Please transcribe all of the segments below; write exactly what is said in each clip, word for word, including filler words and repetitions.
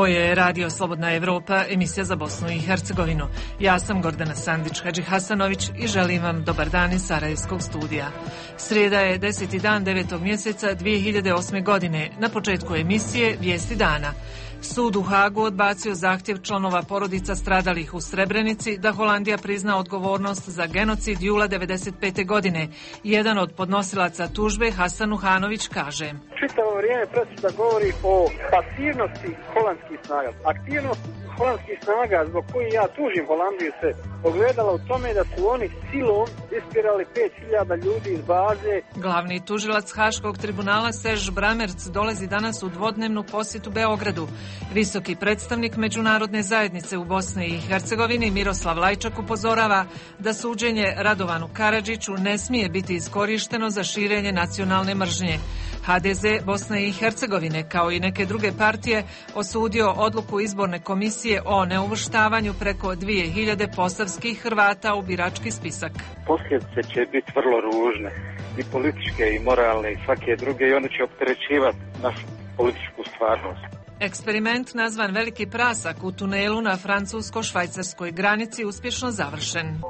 Ovo je Radio Slobodna Evropa, emisija za Bosnu i Hercegovinu. Ja sam Gordana Sandić-Hadžihasanović i želim vam dobar dan iz Sarajevskog studija. Srijeda je deseti dan devetog mjeseca dvije hiljade osme. godine. Na početku emisije Vijesti dana. Sud u Hagu odbacio zahtjev članova porodica stradalih u Srebrenici da Holandija prizna odgovornost za genocid jula devedeset pete. godine. Jedan od podnosilaca tužbe, Hasan Uhanović, kaže: Čitavo vrijeme presuda govori o pasivnosti holandskih snaga. Aktivnost holandskih snaga zbog koji ja tužim Holandiju se ogledala u tome da su oni silom ispirali pet hiljada ljudi iz baze. Glavni tužilac Haškog tribunala Serž Bramerc dolazi danas u dvodnevnu posjetu Beogradu. Visoki predstavnik međunarodne zajednice u Bosni i Hercegovini Miroslav Lajčak upozorava da suđenje Radovanu Karadžiću ne smije biti iskorišteno za širenje nacionalne mržnje. ha de ze Bosne i Hercegovine, kao i neke druge partije, osudio odluku izborne komisije o neuvrštavanju preko dvije hiljade posavskih Hrvata u birački spisak. Posljedice će biti vrlo ružne, i političke, i moralne, i svake druge, i one će opterećivati našu političku stvarnost. Eksperiment nazvan Veliki prasak u tunelu na francusko-švajcarskoj granici uspješno završen.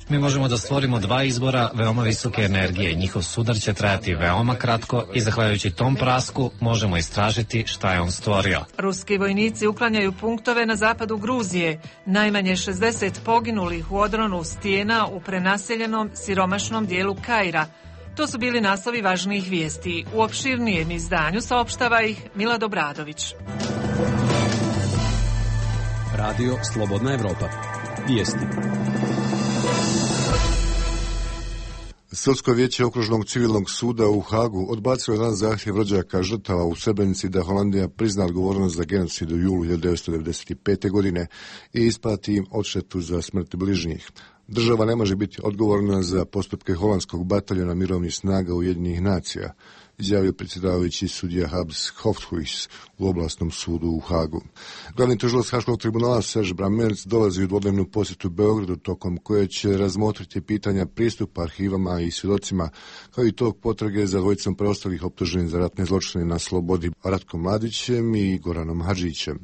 Mi možemo da stvorimo dva izbora veoma visoke energije. Njihov sudar će trajati veoma kratko i zahvaljujući tom prasku možemo istražiti šta je on stvorio. Ruski vojnici uklanjaju punktove na zapadu Gruzije. Najmanje šezdeset poginulih u odronu stijena u prenaseljenom siromašnom dijelu Kaira. To su bili naslovi važnijih vijesti. U opširnijem izdanju saopštava ih Milad Obradović. Radio Slobodna Evropa. Vijesti. Sudsko vijeće Okružnog civilnog suda u Hagu odbacilo dan zahtjev rođaka žrtava u Srebrenici da Holandija prizna odgovornost za genocid u julu hiljadu devetsto devedeset pete. godine i isplati im odštetu za smrt bližnjih. Država ne može biti odgovorna za postupke holandskog bataljona mirovnih snaga Ujedinjenih nacija, izjavio predsjedavajući sudija Habs Hofhuis u oblastnom sudu u Hagu. Glavni tužilac Haškog tribunala Serž Bramerc dolazi u dvodnevnu posjetu Beogradu, tokom koje će razmotriti pitanja pristupa arhivama i svjedocima, kao i tog potrage za dvojicom preostalih optuženih za ratne zločine na slobodi, Ratkom Mladićem i Goranom Hadžićem.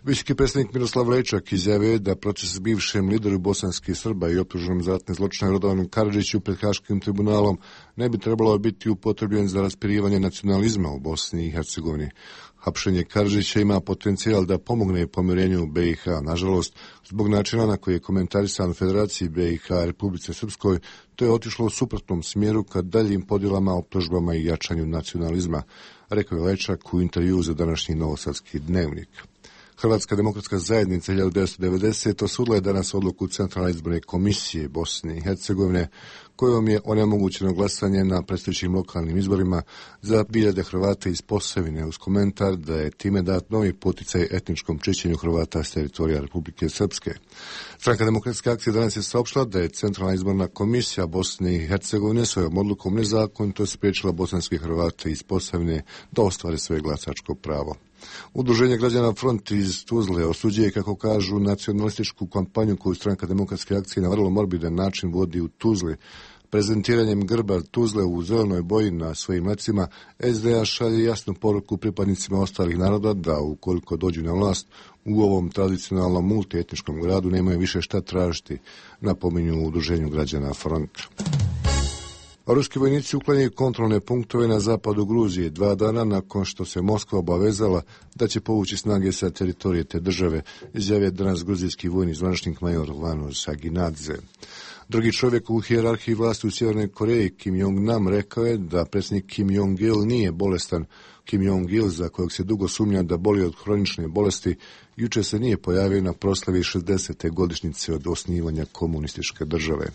Visoki predstavnik Miroslav Lajčak izjavio da proces s bivšem lideru bosanskih Srba i optuženom za ratne zločine Radovanu Karadžiću pred Haškim tribunalom ne bi trebalo biti upotrebljen za raspirivanje nacionalizma u Bosni i Hercegovini. Hapšenje Karadžića ima potencijal da pomogne pomirenju be i ha. Nažalost, zbog načina na koji je komentarisan Federaciji be i ha Republice Srpskoj, to je otišlo u suprotnom smjeru ka daljim podjelama, optužbama i jačanju nacionalizma, rekao je Lajčak u intervjuu za današnji Novosadski dnevnik. Hrvatska demokratska zajednica hiljadu devetsto devedesete. osudila je danas odluku Centralne izborne komisije Bosne i Hercegovine, kojom je onemogućeno glasanje na predstojećim lokalnim izborima za hiljade Hrvata iz Posavine, uz komentar da je time dat novi poticaj etničkom čišćenju Hrvata s teritorija Republike Srpske. Stranka demokratske akcije danas je saopštila da je Centralna izborna komisija Bosne i Hercegovine svojom odlukom nezakonito spriječila bosanske Hrvate iz Posavine da ostvare svoje glasačko pravo. Udruženje građana Front iz Tuzle osuđuje, kako kažu, nacionalističku kampanju koju Stranka demokratske akcije na vrlo morbidan način vodi u Tuzli. Prezentiranjem grba Tuzle u zelenoj boji na svojim lecima, es de a šalje jasnu poruku pripadnicima ostalih naroda da, ukoliko dođu na vlast, u ovom tradicionalnom multietničkom gradu nemaju više šta tražiti, napominju u udruženju građana Front. Ruski vojnici uklanjaju kontrolne punktove na zapadu Gruzije dva dana nakon što se Moskva obavezala da će povući snage sa teritorije te države, izjavio danas gruzijski vojni zvaničnik major Vano Saginadze. Drugi čovjek u hijerarhiji vlasti u Sjevernoj Koreji, Kim Jong-nam, rekao je da predsjednik Kim Jong-il nije bolestan. Kim Jong-il, za kojeg se dugo sumnja da boli od hronične bolesti, jučer se nije pojavio na proslavi šezdesete godišnjice od osnivanja komunističke države.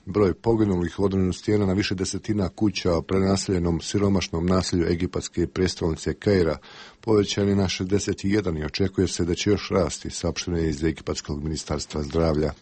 Broj poginulih u odronu stijena na više desetina kuća u prenaseljenom siromašnom naselju egipatske prijestolnice Kaira povećan je na šezdeset jedan i očekuje se da će još rasti, saopšteno je iz egipatskog ministarstva zdravlja.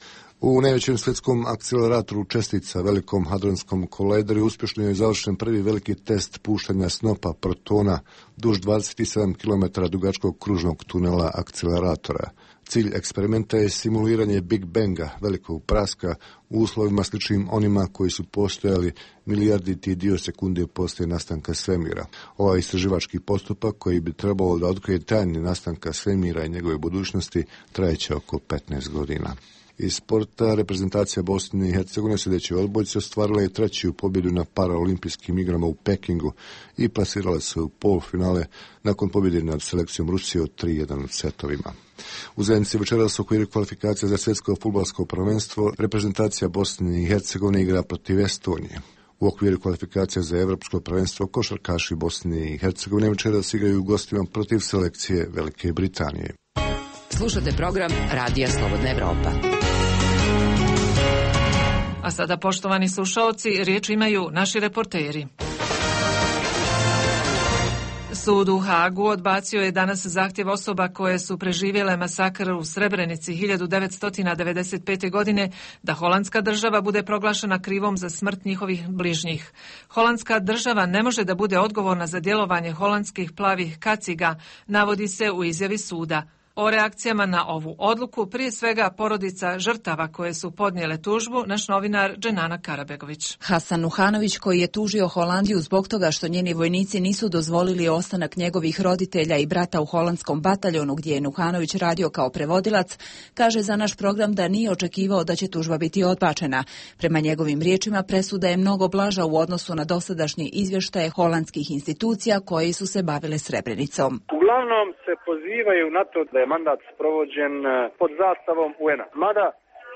U najvećem svjetskom akceleratoru čestica, velikom hadronskom kolideru, uspješno je završen prvi veliki test puštanja snopa protona duž dvadeset sedam kilometara dugačkog kružnog tunela akceleratora. Cilj eksperimenta je simuliranje Big Banga, velikog praska, u uslovima sličnim onima koji su postojali milijarditi dio sekunde poslije nastanka svemira. Ovaj istraživački postupak, koji bi trebalo da otkrije tajne nastanka svemira i njegove budućnosti, trajeće oko petnaest godina. Iz sporta, reprezentacija Bosne i Hercegovine sljedeće odbojci ostvarila je treću pobjedu na paraolimpijskim igrama u Pekingu i plasirala se u polufinale nakon pobjede nad selekcijom Rusije od tri jedan u setovima. U zajednici večeras u okviru kvalifikacija za svjetsko fudbalsko prvenstvo reprezentacija Bosne i Hercegovine igra protiv Estonije. U okviru kvalifikacija za evropsko prvenstvo košarkaši Bosne i Hercegovine večeras igraju u gostima protiv selekcije Velike Britanije. Slušate program Radija Slobodna Evropa. A sada, poštovani slušaoci, riječ imaju naši reporteri. Sud u Hagu odbacio je danas zahtjev osoba koje su preživjele masakr u Srebrenici hiljadu devetsto devedeset pete. godine da holandska država bude proglašena krivom za smrt njihovih bližnjih. Holandska država ne može da bude odgovorna za djelovanje holandskih plavih kaciga, navodi se u izjavi suda. O reakcijama na ovu odluku, prije svega porodica žrtava koje su podnijele tužbu, naš novinar Dženana Karabegović. Hasan Nuhanović, koji je tužio Holandiju zbog toga što njeni vojnici nisu dozvolili ostanak njegovih roditelja i brata u holandskom bataljonu gdje je Nuhanović radio kao prevodilac, kaže za naš program da nije očekivao da će tužba biti odbačena. Prema njegovim riječima, presuda je mnogo blaža u odnosu na dosadašnje izvještaje holandskih institucija koji su se bavile Srebrenicom. Uglavnom se pozivaju na to da je mandat sprovođen pod zastavom U N-a. Mada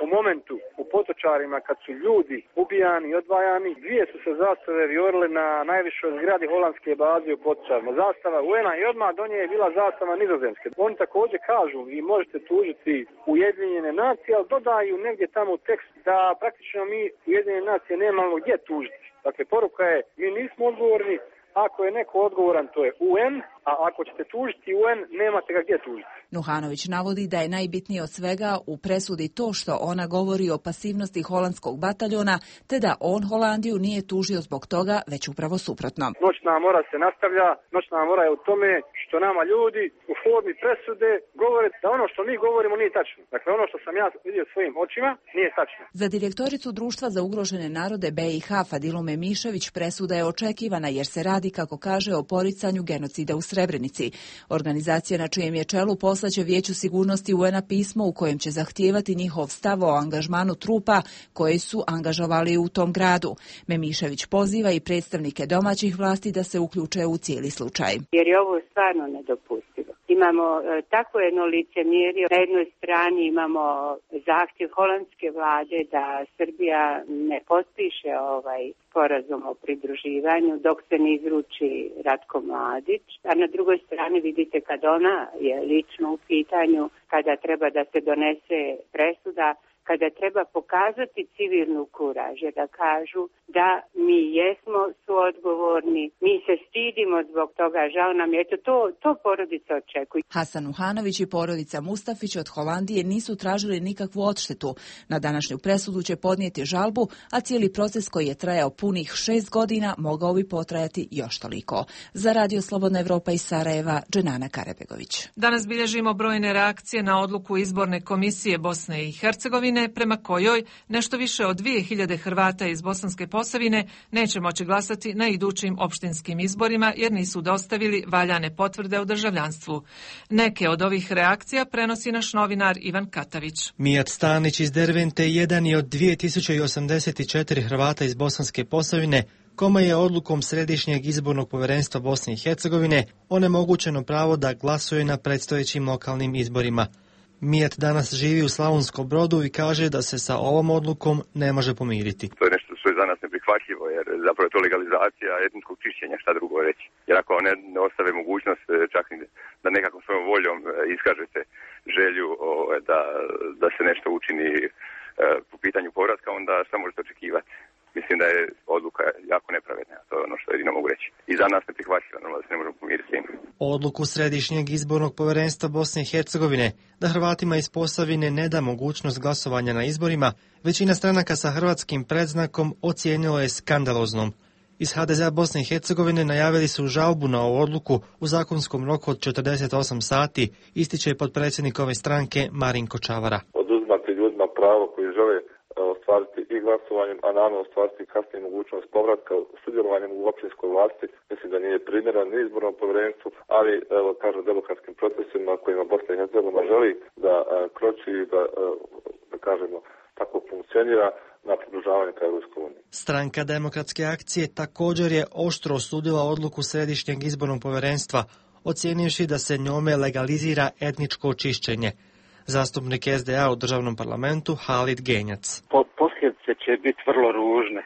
u momentu u Potočarima kad su ljudi ubijani i odvajani, dvije su se zastave viorile na najvišoj zgradi holandske baze u Potočarima. Zastava U N-a i odmah do nje je bila zastava Nizozemske. Oni također kažu, vi možete tužiti Ujedinjene nacije, ali dodaju negdje tamo u tekst da praktično mi Ujedinjene nacije nemamo gdje tužiti. Dakle, poruka je, mi nismo odgovorni. Ako je neko odgovoran, to je U N, a ako ćete tužiti U N, nemate ga gdje tužiti. Nuhanović navodi da je najbitnije od svega u presudi to što ona govori o pasivnosti holandskog bataljona, te da on Holandiju nije tužio zbog toga, već upravo suprotno. Noćna mora se nastavlja, noćna mora je u tome što nama ljudi u formi presude govore da ono što mi govorimo nije tačno. Dakle, ono što sam ja vidio svojim očima nije tačno. Za direktoricu Društva za ugrožene narode B i H Fadilu Memišević presuda je očekivana jer se radi, kako kaže, o poricanju genocida u Srebrenici. Organizacija na čijem je čelu poslaće Vijeću sigurnosti U N-a pismo u kojem će zahtijevati njihov stav o angažmanu trupa koji su angažovali u tom gradu. Memišević poziva i predstavnike domaćih vlasti da se uključe u cijeli slučaj. Jer je ovo stvarno nedopustivo. Imamo e, tako jedno licemjerje. Na jednoj strani imamo zahtjev holandske vlade da Srbija ne potpiše ovaj sporazum o pridruživanju dok se ne izruči Ratko Mladić, a na drugoj strani vidite kad ona je lično u pitanju, kada treba da se donese presuda, kada treba pokazati civilnu kuraž, da kažu da mi jesmo suodgovorni, mi se stidimo zbog toga, žao nam je, eto to, to porodica očekuje. Hasan Nuhanović i porodica Mustafić od Holandije nisu tražili nikakvu odštetu. Na današnju presudu će podnijeti žalbu, a cijeli proces koji je trajao punih šest godina mogao bi potrajati još toliko. Za Radio Slobodna Evropa iz Sarajeva, Dženana Karabegović. Danas bilježimo brojne reakcije na odluku izborne komisije Bosne i Hercegovine, prema kojoj nešto više od dvije hiljade Hrvata iz Bosanske Posavine neće moći glasati na idućim opštinskim izborima jer nisu dostavili valjane potvrde o državljanstvu. Neke od ovih reakcija prenosi naš novinar Ivan Katavić. Mijat Stanić iz Dervente jedan je od dvije tisuće osamdeset četiri Hrvata iz Bosanske Posavine kome je odlukom Središnjeg izbornog povjerenstva Bosne i Hercegovine onemogućeno pravo da glasuje na predstojećim lokalnim izborima. Mijat danas živi u Slavonskom Brodu i kaže da se sa ovom odlukom ne može pomiriti. To je nešto što je za nas neprihvatljivo, jer zapravo je to legalizacija etničkog čišćenja, šta drugo reći. Jer ako ne, ne ostave mogućnost čak da nekakvom svojom voljom iskažete želju o, da, da se nešto učini e, po pitanju povratka, onda šta možete očekivati. mislim da je odluka jako nepravedna, to je ono što jedino mogu reći. I za nas neprihvatljiva, normalno da se ne možemo pomiriti s tim. Odluku Središnjeg izbornog povjerenstva Bosne i Hercegovine da Hrvatima iz Posavine ne da mogućnost glasovanja na izborima, većina stranaka sa hrvatskim predznakom ocijenilo je skandaloznom. Iz ha de zea Bosne i Hercegovine najavili su žalbu na ovu odluku u zakonskom roku od četrdeset osam sati, ističe potpredsjednik ove stranke Marinko Čavara. Oduzimati ljudima pravo koji žele ostvariti i glasovanjem, a naravno ostvariti kasnije mogućnost povratka sudjelovanjem u općinskoj vlasti. Mislim da nije primjeren ni izbornom povjerenstvu, ali evo kažem demokratskim procesima kojima Bosna i Hercegovina želi da a, kroči i da, a, da kažemo tako funkcionira na približavanje ka Europskoj uniji. Stranka Demokratske akcije također je oštro osudila odluku Središnjeg izbornog povjerenstva, ocijenivši da se njome legalizira etničko čišćenje. Zastupnik es de a u državnom parlamentu Halid Genjac. Po, posljedice će biti vrlo ružne,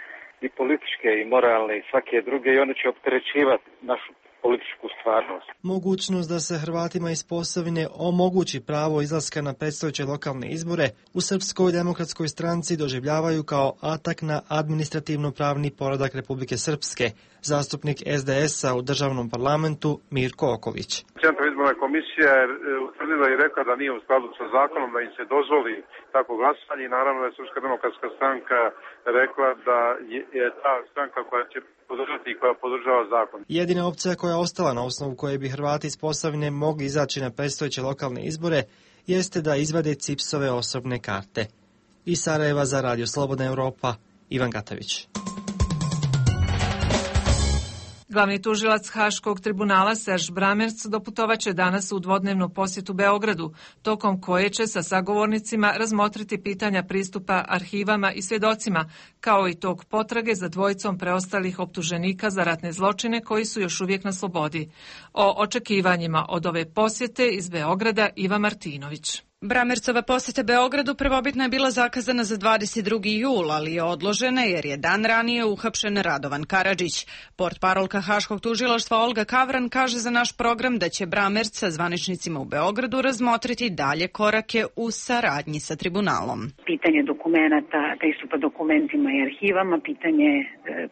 i političke, i moralne, i svake druge, i one će opterećivati našu političku stvarnost. Mogućnost da se Hrvatima iz Posavine omogući pravo izlaska na predstojeće lokalne izbore u Srpskoj demokratskoj stranci doživljavaju kao atak na administrativno-pravni poredak Republike Srpske. Zastupnik es de esa u državnom parlamentu Mirko Okolić. Centralna izborna komisija je utvrdila i rekla da nije u skladu sa zakonom da im se dozvoli tako glasanje i naravno da je Srpska demokratska stranka rekla da je ta stranka koja će podržati i koja podržava zakon. Jedina opcija koja je ostala na osnovu koje bi Hrvati iz Posavine mogli izaći na predstojeće lokalne izbore jeste da izvade cipsove osobne karte. Iz Sarajeva za Radio Slobodna Evropa, Ivan Gatavić. Glavni tužilac Haškog tribunala Serž Bramerc doputovaće danas u dvodnevnu posjetu Beogradu, tokom koje će sa sagovornicima razmotriti pitanja pristupa arhivama i svjedocima, kao i tog potrage za dvojicom preostalih optuženika za ratne zločine koji su još uvijek na slobodi. O očekivanjima od ove posjete iz Beograda Iva Martinović. Bramercova posjeta Beogradu prvobitno je bila zakazana za dvadeset drugi jul, ali je odložena jer je dan ranije uhapšen Radovan Karadžić. Portparolka Haškog tužilaštva Olga Kavran kaže za naš program da će Bramerc sa zvaničnicima u Beogradu razmotriti dalje korake u saradnji sa tribunalom. Pitanje dokumenata, pristupa dokumentima i arhivama, pitanje e,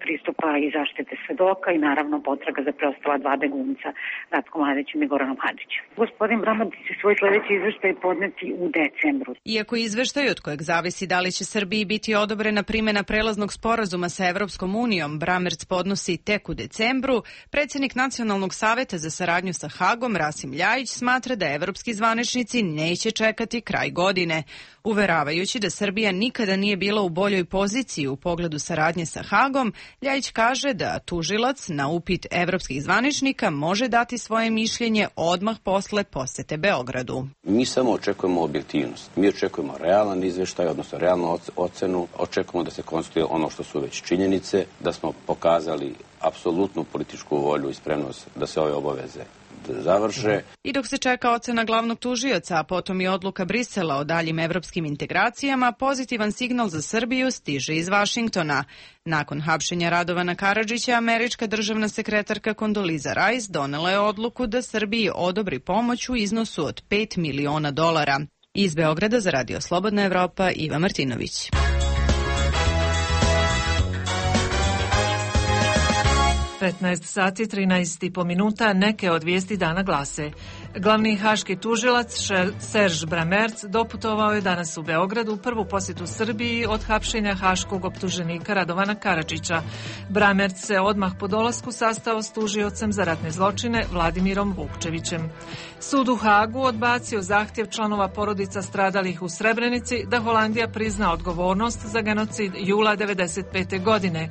pristupa i zaštite svedoka i naravno potraga za preostala dva begunca, Ratko Mladićem i Goranom Hadžićem. Gospodin Bramerc će svoj sljedeći izveštaj podneti u decembru. Iako izveštaj od kojeg zavisi da li će Srbiji biti odobrena primjena prelaznog sporazuma sa Evropskom unijom, Bramerc podnosi tek u decembru, predsjednik Nacionalnog saveta za saradnju sa Hagom, Rasim Ljajić, smatra da evropski zvaničnici neće čekati kraj godine. Uveravajući da Srbija nikada nije bila u boljoj poziciji u pogledu saradnje sa Hagom, Ljajić kaže da tužilac na upit evropskih zvaničnika može dati svoje mišljenje odmah posle posjete Beogradu. Mi samo očekujemo objektivnost. Mi očekujemo realan izvještaj, odnosno realnu ocenu. Očekujemo da se konstatuje ono što su već činjenice, da smo pokazali apsolutnu političku volju i spremnost da se ove obaveze završe. I dok se čeka ocena glavnog tužioca, a potom i odluka Brisela o daljim evropskim integracijama, pozitivan signal za Srbiju stiže iz Vašingtona. Nakon hapšenja Radovana Karadžića, američka državna sekretarka Kondoliza Rice donela je odluku da Srbiji odobri pomoć u iznosu od pet miliona dolara. Iz Beograda za Radio Slobodna Evropa, Iva Martinović. petnaest sati trinaest i po minuta, neke od vijesti dana glase. Glavni haški tužilac Serž Bramerc doputovao je danas u Beogradu u prvu posjetu Srbiji od hapšenja haškog optuženika Radovana Karadžića. Bramerc se odmah po dolasku sastao s tužiocem za ratne zločine Vladimirom Vukčevićem. Sud u Hagu odbacio zahtjev članova porodica stradalih u Srebrenici da Holandija prizna odgovornost za genocid jula devedeset pete godine.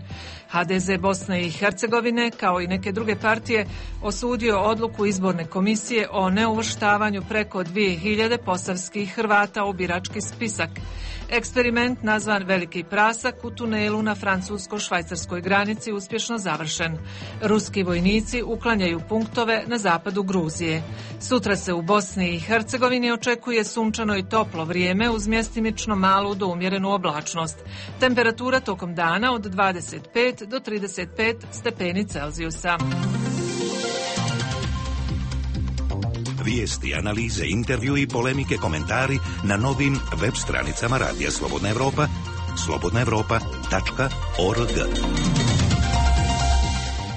ha de ze Bosne i Hercegovine, kao i neke druge partije, osudio odluku izborne komisije o neuvrštavanju preko dvije hiljade posavskih Hrvata u birački spisak. Eksperiment nazvan Veliki prasak u tunelu na francusko-švajcarskoj granici uspješno završen. Ruski vojnici uklanjaju punktove na zapadu Gruzije. Sutra se u Bosni i Hercegovini očekuje sunčano i toplo vrijeme uz mjestimično malu do umjerenu oblačnost. Temperatura tokom dana od dvadeset pet do trideset pet stepeni Celzijusa. Vijesti, analize, intervju i polemike, komentari na novim web stranicama Radija Slobodna Evropa slobodna evropa tačka org.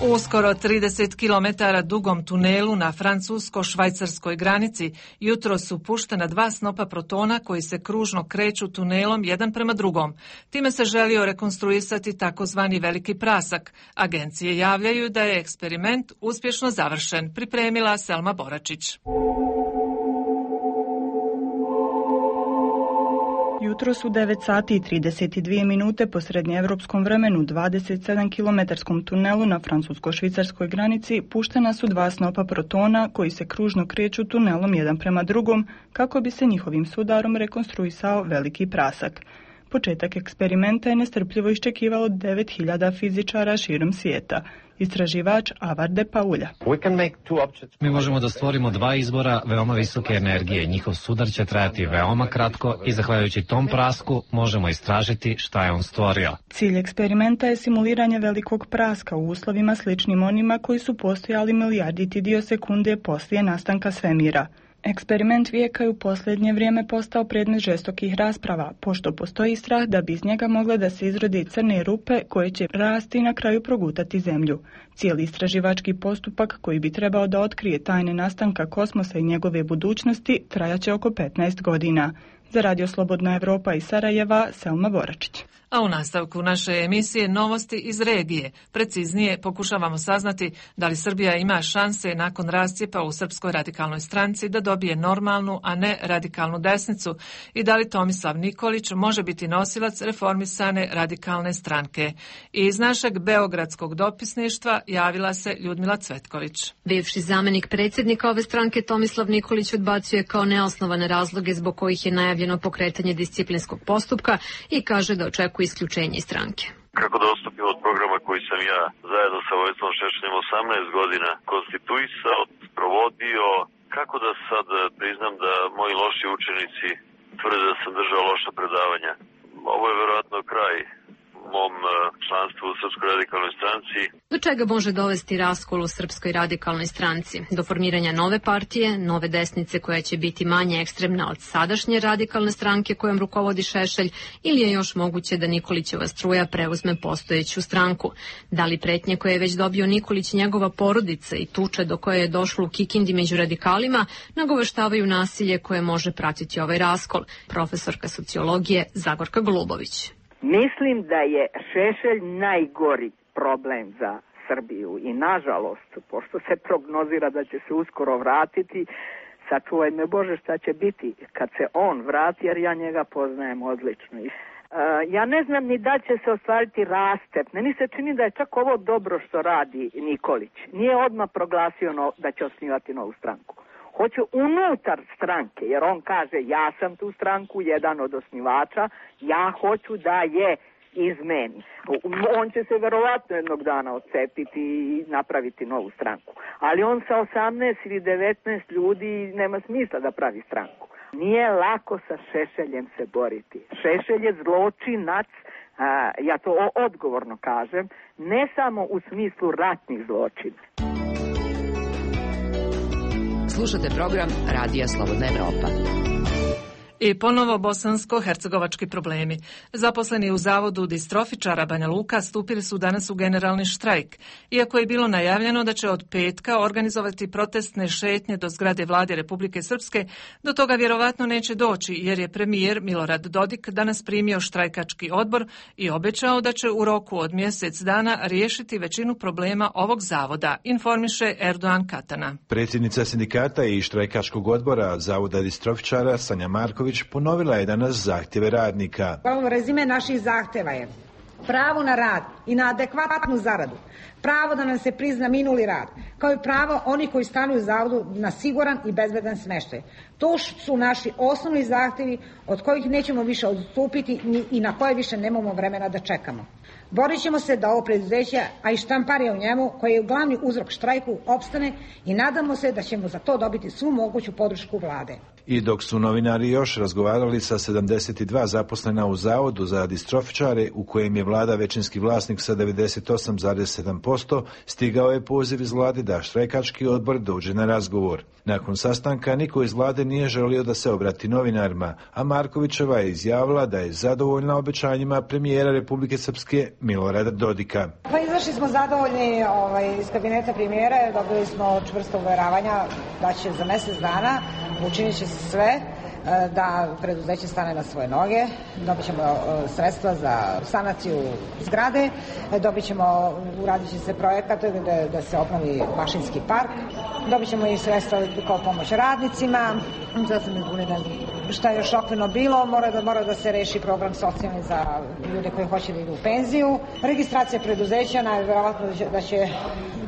U uskoro trideset kilometara dugom tunelu na francusko-švajcarskoj granici jutro su puštena dva snopa protona koji se kružno kreću tunelom jedan prema drugom. Time se želio rekonstruisati takozvani veliki prasak. Agencije javljaju da je eksperiment uspješno završen, pripremila Selma Boračić. Jutro su devet sati i trideset dvije minute po srednjeevropskom vremenu dvadeset sedam kilometarskom tunelu na francusko-švicarskoj granici puštena su dva snopa protona koji se kružno kreću tunelom jedan prema drugom kako bi se njihovim sudarom rekonstruisao veliki prasak. Početak eksperimenta je nestrpljivo iščekivalo devet hiljada fizičara širom svijeta. Istraživač Avar de Paulja. Mi možemo da stvorimo dva izbora veoma visoke energije. Njihov sudar će trajati veoma kratko i zahvaljujući tom prasku možemo istražiti šta je on stvorio. Cilj eksperimenta je simuliranje velikog praska u uslovima sličnim onima koji su postojali milijarditi dio sekunde poslije nastanka svemira. Eksperiment vijeka je u posljednje vrijeme postao predmet žestokih rasprava, pošto postoji strah da bi iz njega mogle da se izrode crne rupe koje će rasti i na kraju progutati zemlju. Cijeli istraživački postupak koji bi trebao da otkrije tajne nastanka kosmosa i njegove budućnosti trajaće oko petnaest godina. Za Radio Slobodna Evropa iz Sarajeva, Selma Boračić. A u nastavku naše emisije novosti iz regije. Preciznije pokušavamo saznati da li Srbija ima šanse nakon rascijepa u Srpskoj radikalnoj stranci da dobije normalnu, a ne radikalnu desnicu i da li Tomislav Nikolić može biti nosilac reformisane radikalne stranke. I iz našeg beogradskog dopisništva javila se Ljudmila Cvetković. Bivši zamenik predsjednika ove stranke Tomislav Nikolić odbacuje kao neosnovane razloge zbog kojih je najavljeno pokretanje disciplinskog postupka i kaže da očekuje isključenje iz stranke. Kako da odstupim od programa koji sam ja zajedno sa Vojislavom Šešeljem osamnaest godina konstituisao, provodio, kako da sad priznam da moji loši učenici tvrde da sam držao loša predavanja. Ovo je verovatno kraj mom članstvu u Srpskoj radikalnoj stranci. Do čega može dovesti raskol u Srpskoj radikalnoj stranci? Do formiranja nove partije, nove desnice koja će biti manje ekstremna od sadašnje radikalne stranke kojom rukovodi Šešelj, ili je još moguće da Nikolićeva struja preuzme postojeću stranku? Da li pretnje koje je već dobio Nikolić, njegova porodica i tuče do koje je došlo u Kikindi među radikalima nagoveštavaju nasilje koje može pratiti ovaj raskol? Profesorka sociologije Zagorka Golubović. Mislim da je Šešelj najgori problem za Srbiju i nažalost, pošto se prognozira da će se uskoro vratiti, sačuvaj me Bože šta će biti kad se on vrati, jer ja njega poznajem odlično. Uh, ja ne znam ni da će se ostvariti rastep. Meni se čini da je čak ovo dobro što radi Nikolić. Nije odmah proglasio no, da će osnivati novu stranku. Hoće unutar stranke, jer on kaže ja sam tu stranku, jedan od osnivača, ja hoću da je izmeni. On će se verovatno jednog dana odcepiti i napraviti novu stranku. Ali on sa osamnaest ili devetnaest ljudi nema smisla da pravi stranku. Nije lako sa Šešeljem se boriti. Šešelj je zločinac, a, ja to odgovorno kažem, ne samo u smislu ratnih zločina. Slušate program Radija Slobodna Evropa. I ponovo bosansko-hercegovački problemi. Zaposleni u zavodu distrofičara Banja Luka stupili su danas u generalni štrajk. Iako je bilo najavljeno da će od petka organizovati protestne šetnje do zgrade vlade Republike Srpske, do toga vjerovatno neće doći jer je premijer Milorad Dodik danas primio štrajkački odbor i obećao da će u roku od mjesec dana riješiti većinu problema ovog zavoda, informiše Erdogan Katana. Predsjednica sindikata i štrajkačkog odbora zavoda distrofičara Sanja Marković ponovila je danas zahtjeve radnika. Ovo rezime naših zahtjeva je pravo na rad i na adekvatnu zaradu, pravo da nam se prizna minuli rad, kao i pravo onih koji stanuju u zavodu na siguran i bezbedan smještaj. To su naši osnovni zahtjevi od kojih nećemo više odstupiti i na koje više nemamo vremena da čekamo. Borit ćemo se da ovo preduzeće, a i štamparija u njemu, koji je glavni uzrok štrajku, opstane i nadamo se da ćemo za to dobiti svu moguću podršku vlade. I dok su novinari još razgovarali sa sedamdeset dva zaposlena u Zavodu za distrofičare, u kojem je vlada većinski vlasnik sa devedeset osam zarez sedam posto, stigao je poziv iz vlade da štrajkački odbor dođe na razgovor. Nakon sastanka niko iz vlade nije želio da se obrati novinarima, a Markovićeva je izjavila da je zadovoljna obećanjima premijera Republike Srpske Milorada Dodika. Pa izašli smo zadovoljni ovaj, iz kabineta premijera, dobili smo čvrsto uveravanja da će za mjesec dana učinit će se sve da preduzeće stane na svoje noge, dobit ćemo sredstva za sanaciju zgrade, dobit ćemo, uradit će se projekat da, da se obnovi Mašinski park, dobit ćemo i sredstva kao pomoć radnicima, sad sam izbunila šta je još okvirno bilo, mora da, mora da se reši program socijalni za ljude koji hoće da idu u penziju, registracija preduzeća, najvjerovatno da će, da će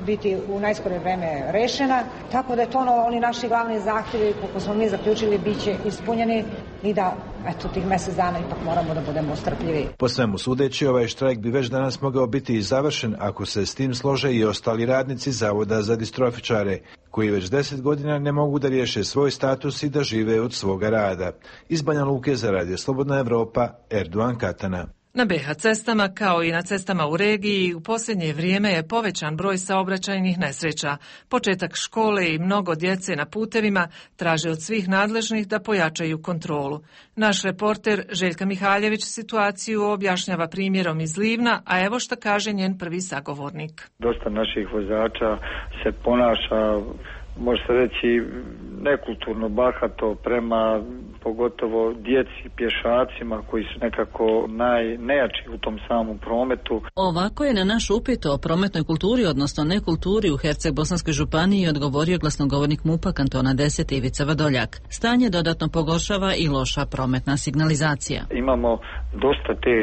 biti u najskorije vreme rešena, tako da je to ono, oni naši glavni zahtjevi, kako smo mi zaključili, bit će ispunjeni i da, eto, tih mjesec dana ipak moramo da budemo strpljivi. Po svemu sudeći, ovaj štrajk bi već danas mogao biti i završen ako se s tim slože i ostali radnici Zavoda za distrofičare, koji već deset godina ne mogu da riješe svoj status i da žive od svoga rada. Iz Banja Luke za Radio Slobodna Evropa, Erdogan Katana. Na be ha cestama, kao i na cestama u regiji, u posljednje vrijeme je povećan broj saobraćajnih nesreća. Početak škole i mnogo djece na putevima traže od svih nadležnih da pojačaju kontrolu. Naš reporter Željka Mihaljević situaciju objašnjava primjerom iz Livna, a evo šta kaže njen prvi sagovornik. Dosta naših vozača se ponaša, može se reći, nekulturno, bahato prema pogotovo djeci, pješacima koji su nekako najnejači u tom samom prometu. Ovako je na naš upit o prometnoj kulturi, odnosno nekulturi u Herceg-Bosanskoj županiji odgovorio glasnogovornik MUP-a kantona deset Ivica Vadoljak. Stanje dodatno pogoršava i loša prometna signalizacija. Imamo dosta te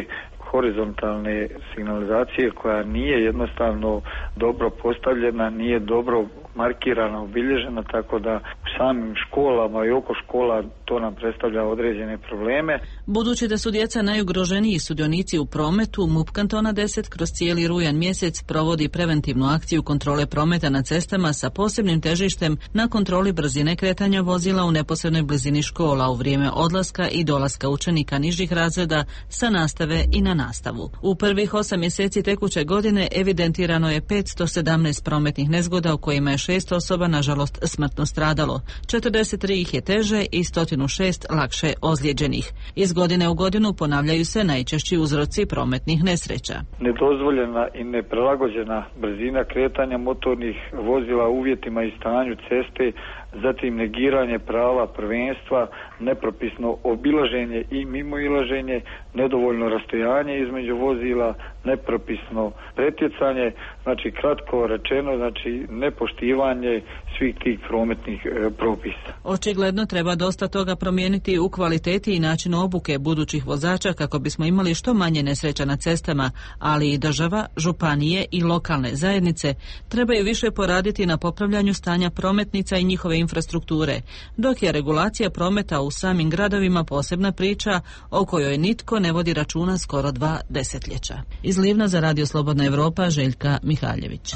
horizontalne signalizacije koja nije jednostavno dobro postavljena, nije dobro markirana, obilježena, tako da u samim školama i oko škola to nam predstavlja određene probleme. Budući da su djeca najugroženiji sudionici u prometu, MUP kantona deset kroz cijeli rujan mjesec provodi preventivnu akciju kontrole prometa na cestama sa posebnim težištem na kontroli brzine kretanja vozila u neposrednoj blizini škola u vrijeme odlaska i dolaska učenika nižih razreda sa nastave i na nastavu. U prvih osam mjeseci tekuće godine evidentirano je petsto sedamnaest prometnih nezgoda u kojima je šest osoba nažalost smrtno stradalo. četrdeset tri ih je teže i sto šest lakše ozlijeđenih. Iz godine u godinu ponavljaju se najčešći uzroci prometnih nesreća. Nedozvoljena i neprilagođena brzina kretanja motornih vozila uvjetima i stanju ceste, zatim negiranje prava prvenstva, nepropisno obilaženje i mimoilaženje, nedovoljno rastojanje između vozila, nepropisno pretjecanje, znači kratko rečeno, znači nepoštivanje svih tih prometnih e, propisa. Očigledno treba dosta toga promijeniti u kvaliteti i načinu obuke budućih vozača kako bismo imali što manje nesreća na cestama, ali i država, županije i lokalne zajednice trebaju više poraditi na popravljanju stanja prometnica i njihove infrastrukture, dok je regulacija prometa u samim gradovima posebna priča o kojoj nitko ne vodi računa skoro dva desetljeća. Iz Livna za Radio Slobodna Evropa, Željka Mihaljević.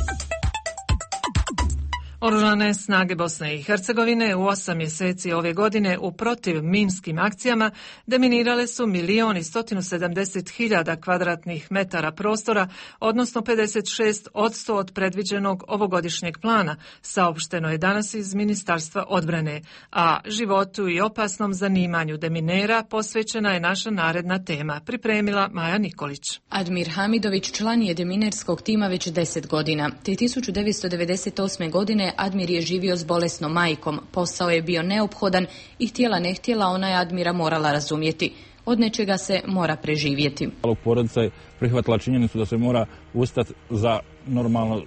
Oružane snage Bosne i Hercegovine u osam mjeseci ove godine u protiv minskim akcijama deminirale su milion i stotinu sedamdeset hiljada kvadratnih metara prostora, odnosno pedeset šest posto od predviđenog ovogodišnjeg plana, saopšteno je danas iz Ministarstva odbrane, a životu i opasnom zanimanju deminera posvećena je naša naredna tema, pripremila Maja Nikolić. Admir Hamidović član je deminerskog tima već deset godina, te tisuću devetsto devedeset osme godine Admir je živio s bolesnom majkom, posao je bio neophodan i htjela ne htjela ona je Admira morala razumjeti. Od nečega se mora preživjeti. Porodica je prihvatila činjenicu da se mora ustati za normalno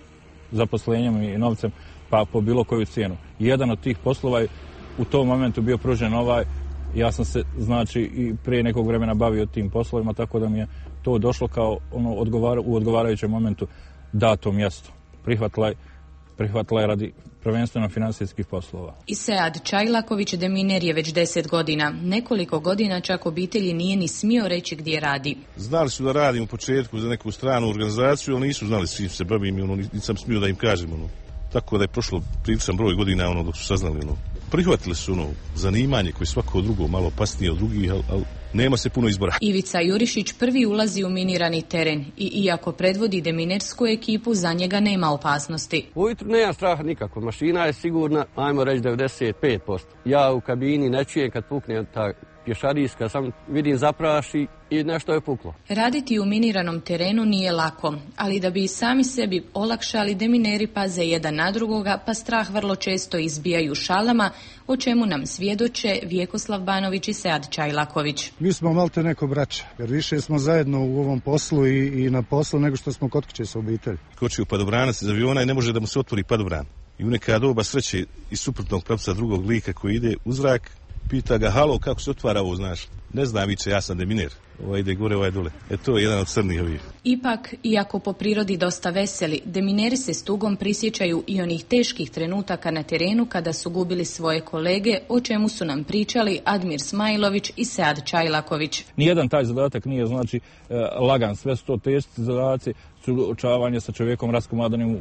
zaposlenjem i novcem, pa po bilo koju cijenu. Jedan od tih poslova je u tom momentu bio pružen ovaj, ja sam se znači i prije nekog vremena bavio tim poslovima, tako da mi je to došlo kao ono odgovara, u odgovarajućem momentu dato mjesto. Prihvatila je prihvatila je radi prvenstveno financijskih poslova. Isead Čajlaković deminer je već deset godina. Nekoliko godina čak obitelji nije ni smio reći gdje radi. Znali su da radim u početku za neku stranu organizaciju, ali nisu znali s čim se bavim i ono, nisam smio da im kažem. Ono. Tako da je prošlo priličan broj godina ono, dok su saznali. Ono. Prihvatili su ono zanimanje koje je svako drugo malo opasnije od drugih, ali al, nema se puno izbora. Ivica Jurišić prvi ulazi u minirani teren i iako predvodi deminersku ekipu, za njega nema opasnosti. Ujutru nema straha nikako, mašina je sigurna, ajmo reći devedeset pet posto. Ja u kabini ne čujem kad pukne ta pješadijska, sam vidim zapraši i nešto je puklo. Raditi u miniranom terenu nije lako, ali da bi i sami sebi olakšali, demineri paze jedan na drugoga, pa strah vrlo često izbijaju šalama, o čemu nam svjedoče Vjekoslav Banović i Sead Čajlaković. Mi smo malte neko braća, jer više smo zajedno u ovom poslu i, i na poslu nego što smo kod kuće sa obitelji. Koči u padobranac iz aviona i ne može da mu se otvori padobran. I u neka doba sreće iz suprotnog pravca drugog lika koji ide u zrak, pita ga, halo, kako se otvara ovo, znaš? Ne znam, viče, ja sam deminer. Ovaj ide gore, ovaj dole. E to je jedan od crnih ovih. Ipak, iako po prirodi dosta veseli, demineri se s tugom prisjećaju i onih teških trenutaka na terenu kada su gubili svoje kolege, o čemu su nam pričali Admir Smajlović i Sead Čajlaković. Nijedan taj zadatak nije, znači, lagan. Sve su to teški zadaci, suočavanje sa čovjekom raskomadanjem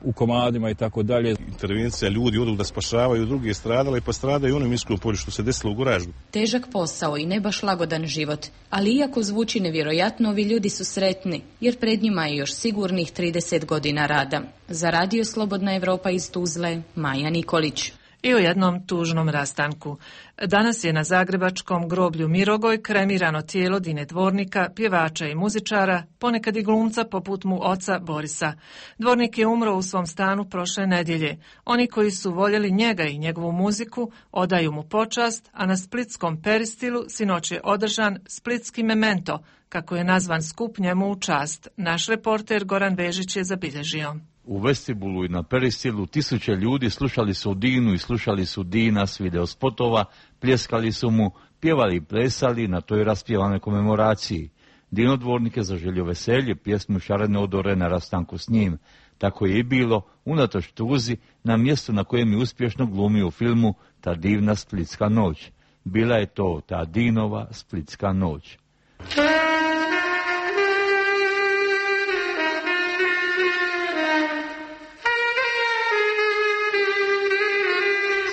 u komadima i tako dalje. Intervencija, ljudi odu da spašavaju druge stradale, pa stradaju u onom minskom polju što se desilo u Goraždu. Težak posao i ne baš lagodan život, ali iako zvuči nevjerojatno, ovi ljudi su sretni, jer pred njima je još sigurnih trideset godina rada. Za Radio Slobodna Evropa iz Tuzle, Maja Nikolić. I u jednom tužnom rastanku. Danas je na zagrebačkom groblju Mirogoj kremirano tijelo Dine Dvornika, pjevača i muzičara, ponekad i glumca poput mu oca Borisa. Dvornik je umro u svom stanu prošle nedjelje. Oni koji su voljeli njega i njegovu muziku odaju mu počast, a na splitskom Peristilu sinoć je održan splitski memento, kako je nazvan skup njemu u čast. Naš reporter Goran Vežić je zabilježio. U vestibulu i na Peristilu tisuće ljudi slušali su Dinu i slušali su Dina s videospotova, pljeskali su mu, pjevali i plesali na toj raspjevanoj komemoraciji. Dino Dvornik je zaželio veselje, pjesmu Šarene odore na rastanku s njim. Tako je i bilo, unatoč tuzi, na mjestu na kojem je uspješno glumio u filmu Ta divna splitska noć. Bila je to ta Dinova splitska noć.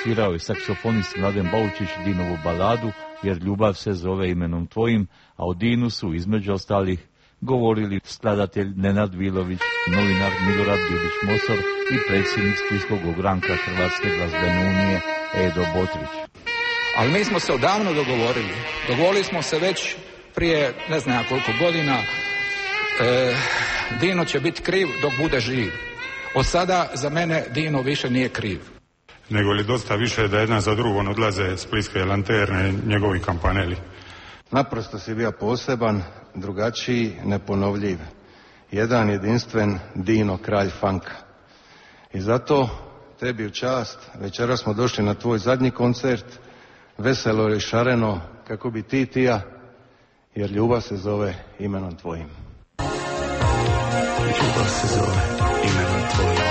Svirao je saksofonist Mladen Baučić Dinovu baladu Jer ljubav se zove imenom tvojim, a o Dinu su između ostalih govorili skladatelj Nenad Vilović, novinar Milorad Bilić-Mosor i predsjednik Splitskog ogranka Hrvatske glazbene unije Edo Botrić. Ali mi smo se odavno dogovorili. Dogovorili smo se već prije ne znam koliko godina. E, Dino će biti kriv dok bude živ. Od sada za mene Dino više nije kriv. Nego li dosta više da jedna za drugom odlaze splitske lanterne, njegovi kampaneli. Naprosto si bio poseban, drugačiji, neponovljiv. Jedan jedinstven Dino, kralj funka. I zato tebi u čast, večeras smo došli na tvoj zadnji koncert, veselo i šareno, kako bi ti tija, jer ljubav se zove imenom tvojim. Ljubav se zove imenom tvojim.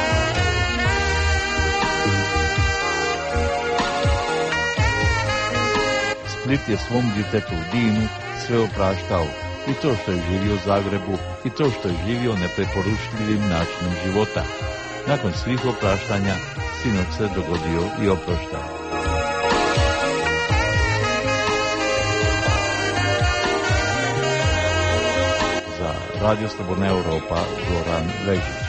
Split je svom djetetu Dinu sve opraštao, i to što je živio u Zagrebu, i to što je živio nepreporučljivim načinom života. Nakon svih opraštanja, sinoć se dogodio i oproštao. Za Radio Slobodna Evropa, Goran Vežić.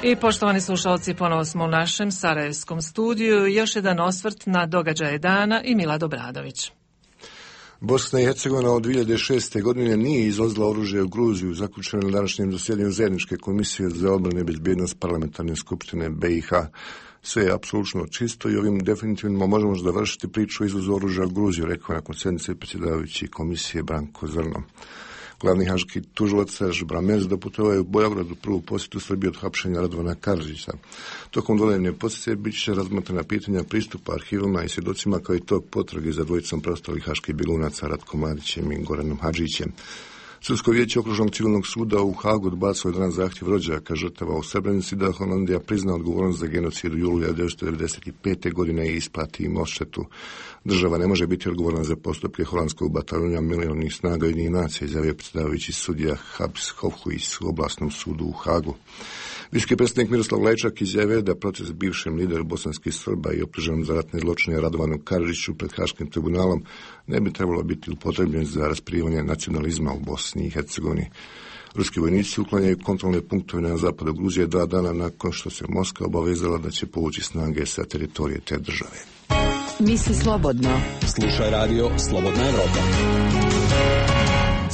I poštovani slušalci, ponovo smo u našem sarajevskom studiju. Još jedan osvrt na događaje dana i Milad Obradović. Bosna i Hercegovina od dvije hiljade šeste. godine nije izvozila oružje u Gruziju, zaključeno na današnjem zasjedanju zajedničke komisije za obranu i bezbjednost parlamentarne skupštine B i H. Sve je apsolutno čisto i ovim definitivno možemo završiti priču o izvozu oružja u Gruziju, rekao nakon sjednice predsjedavajući komisije Branko Zrno. Glavni haški tužilac Serž Bramers doputovao je u Beogradu prvu posjetu Srbije od hapšenja Radovana Karadžića. Tokom doledne posjete bit će razmatrana pitanja pristupa arhivima i svjedocima, kao i tog potrage za dvojicom preostalih haških bjegunaca Ratkom Mladićem i Goranom Hadžićem. Sudsko vijeće okružnog civilnog suda u Hagu odbacilo je danas zahtjev rođaka žrtava u Srebrenici da Holandija prizna odgovornost za genocid u julu hiljadu devetsto devedeset pete. godine i isplati im odštetu. Država ne može biti odgovorna za postupke holandskog bataljona mirovnih snaga Ujedinjenih nacija, izjavio predsjedavajući sudija Habs Hofhuis u oblasnom sudu u Hagu. Visoki predstavnik Miroslav Lajčak izjavio da proces bivšem lideru bosanskih Srba i optuženom za ratne zločine Radovanu Karadžiću pred Haškim tribunalom ne bi trebalo biti upotrebljen za rasprivanje nacionalizma u Bosni i Hercegovini. Ruski vojnici uklanjaju kontrolne punktove na zapadu Gruzije dva dana nakon što se Moskva obavezala da će povući snage sa teritorije te države. Misli slobodno. Slušaj radio Slobodna Evropa.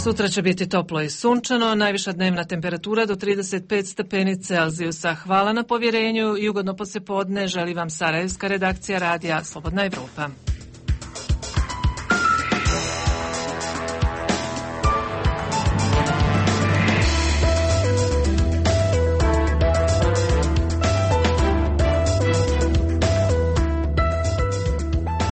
Sutra će biti toplo i sunčano, najviša dnevna temperatura do trideset pet stepeni Celzijusa. Hvala na povjerenju i ugodno poslijepodne želi vam sarajevska redakcija radija Slobodna Evropa.